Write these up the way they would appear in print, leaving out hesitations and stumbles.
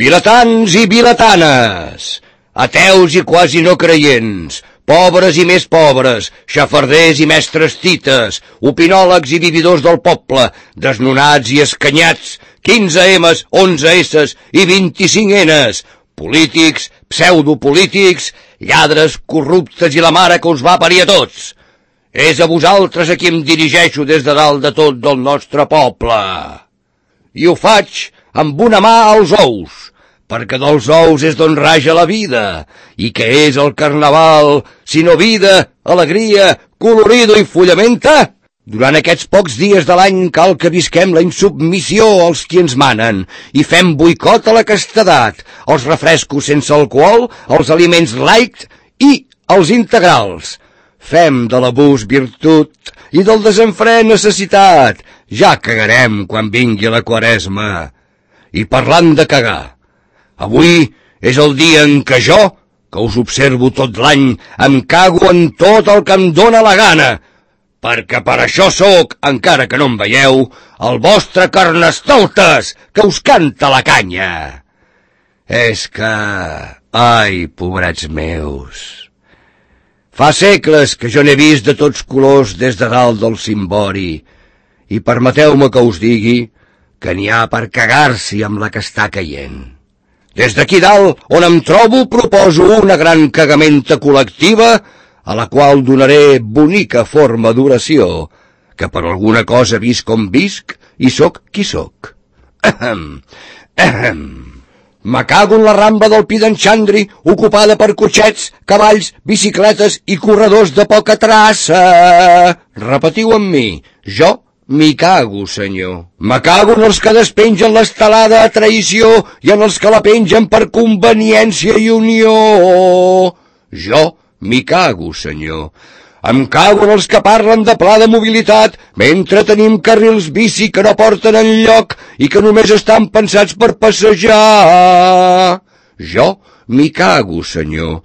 Vilatans i vilatanes, ateus i quasi no creients, pobres i més pobres, xafarders i mestres tites, opinòlegs i vividors del poble, desnonats i escanyats, 15 M's, 11 S's i 25 N's, polítics, pseudopolítics, lladres, corruptes i la mare que us va parir a tots. És a vosaltres a qui em dirigeixo des de dalt de tot del nostre poble. I ho faig amb una mà als ous, perquè dels ous és d'on raja la vida. I què és el carnaval, sinó vida, alegria, colorido i fullamenta? Durant aquests pocs dies de l'any cal que visquem la insubmissió als qui ens manen i fem boicot a la castedat, als refrescos sense alcohol, als aliments light i als integrals. Fem de l'abús virtut i del desenfre necessitat. Ja cagarem quan vingui la Quaresma. I parlant de cagar, avui és el dia en què jo, que us observo tot l'any, em cago en tot el que em dóna la gana, perquè per això sóc, encara que no em veieu, el vostre carnestoltes que us canta la canya. És que... ai, pobrets meus... Fa segles que jo n'he vist de tots colors des de dalt del cimbori, i permeteu-me que us digui que n'hi ha per cagar-s'hi amb la que està caient. Des d'aquí dalt, on em trobo, proposo una gran cagamenta col·lectiva, a la qual donaré bonica forma d'oració, que per alguna cosa visc com visc i sóc qui sóc. Me cago en la ramba del Pi d'en Xandri, ocupada per cotxets, cavalls, bicicletes i corredors de poca traça. Repetiu amb mi, jo m'hi cago, senyor. Me cago en els que despengen l'estelada a traïció i en els que la pengen per conveniència i unió. Jo m'hi cago, senyor. Em cago en els que parlen de pla de mobilitat mentre tenim carrils bici que no porten enlloc i que només estan pensats per passejar. Jo m'hi cago, senyor.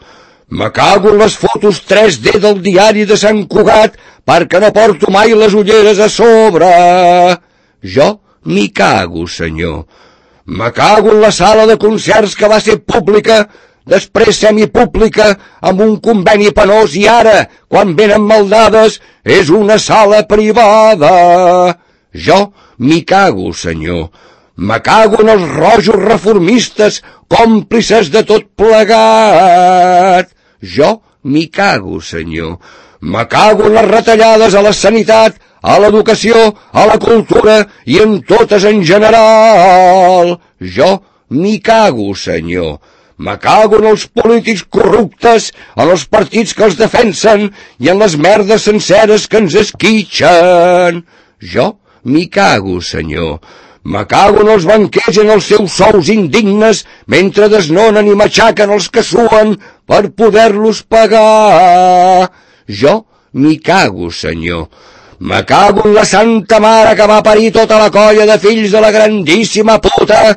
Me cago en les fotos 3D del diari de Sant Cugat perquè no porto mai les ulleres a sobre. Jo m'hi cago, senyor. Me cago en la sala de concerts que va ser pública, després semipública, amb un conveni penós, i ara, quan venen maldades, és una sala privada. Jo m'hi cago, senyor. Me cago en els rojos reformistes, còmplices de tot plegat. Jo m'hi cago, senyor. Me cago en les retallades a la sanitat, a l'educació, a la cultura i en totes en general. Jo m'hi cago, senyor. Me cago en els polítics corruptes, en els partits que els defensen i en les merdes senceres que ens esquitxen. Jo m'hi cago, senyor. Me cago en els banquers i en els seus sous indignes mentre desnonen i matxaquen els que suen per poder-los pagar. Jo m'hi cago, senyor. Me cago en la santa mare que va parir tota la colla de fills de la grandíssima puta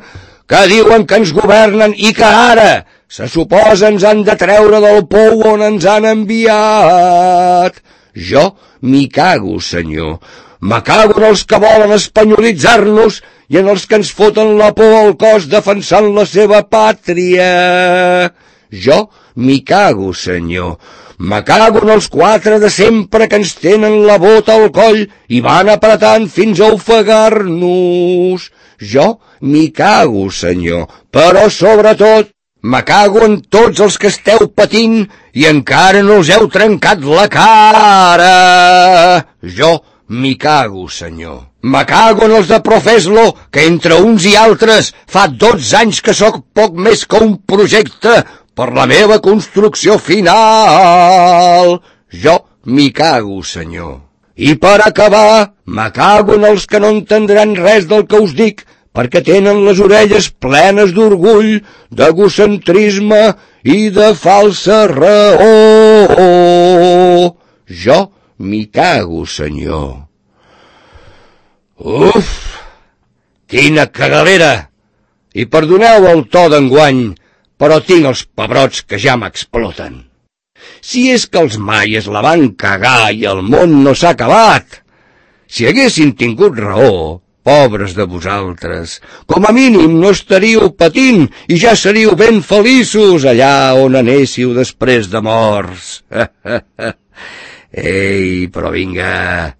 que diuen que ens governen i que ara, se suposa, ens han de treure del pou on ens han enviat. Jo m'hi cago, senyor. Me cago en els que volen espanyolitzar-nos i en els que ens foten la por al cos defensant la seva pàtria. Jo m'hi cago, senyor. Me cago en els 4 de sempre que ens tenen la bota al coll i van apretant fins a ofegar-nos. Jo m'hi cago, senyor, però sobretot me cago en tots els que esteu patint i encara no us heu trencat la cara. Jo m'hi cago, senyor. Me cago en els de Profeslo, que entre uns i altres fa 12 anys que sóc poc més que un projecte per la meva construcció final. Jo m'hi cago, senyor. I per acabar, me cago en els que no entendran res del que us dic, perquè tenen les orelles plenes d'orgull, d'egocentrisme i de falsa raó. Jo m'hi cago, senyor. Uf, quina cagalera! I perdoneu el to d'enguany, però tinc els pebrots que ja m'exploten. Si és que els maies la van cagar i el món no s'ha acabat. Si haguessin tingut raó, Pobres de vosaltres, com a mínim no estaríeu patint i ja seríeu ben feliços allà on anéssiu després de morts. Ei, però vinga,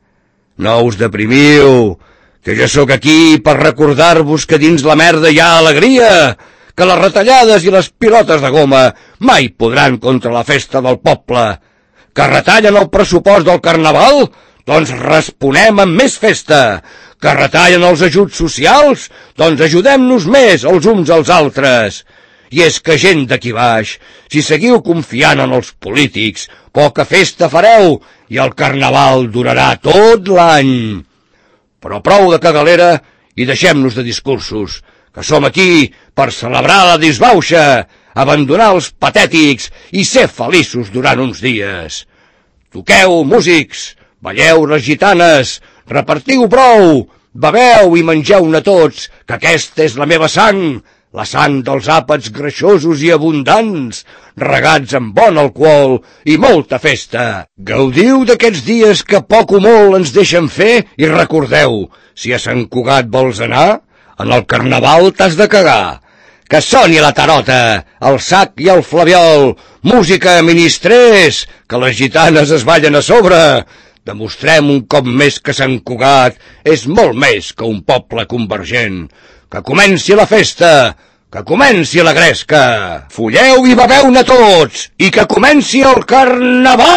no us deprimiu, que jo sóc aquí per recordar-vos que dins la merda hi ha alegria, que les retallades i les pilotes de goma mai podran contra la festa del poble. Que retallen el pressupost del carnaval? Doncs responem amb més festa. Que retallen els ajuts socials? Doncs ajudem-nos més els uns als altres. I és que gent d'aquí baix, si seguiu confiant en els polítics, poca festa fareu i el carnaval durarà tot l'any. Però prou de cagalera i deixem-nos de discursos, que som aquí per celebrar la disbauxa, abandonar els patètics i ser feliços durant uns dies. Toqueu, músics, balleu les gitanes, repartiu brou, beveu i mengeu-ne tots, que aquesta és la meva sang, la sang dels àpats greixosos i abundants, regats amb bon alcohol i molta festa. Gaudiu d'aquests dies que poc o molt ens deixen fer i recordeu, si a Sant Cugat vols anar, en el carnaval t'has de cagar. Que soni la tarota, el sac i el flabiol, música, ministrers, que les gitanes es ballen a sobre. Demostrem un cop més que Sant Cugat és molt més que un poble convergent. Que comenci la festa, que comenci la gresca. Folleu i beveu-ne tots, i que comenci el carnaval!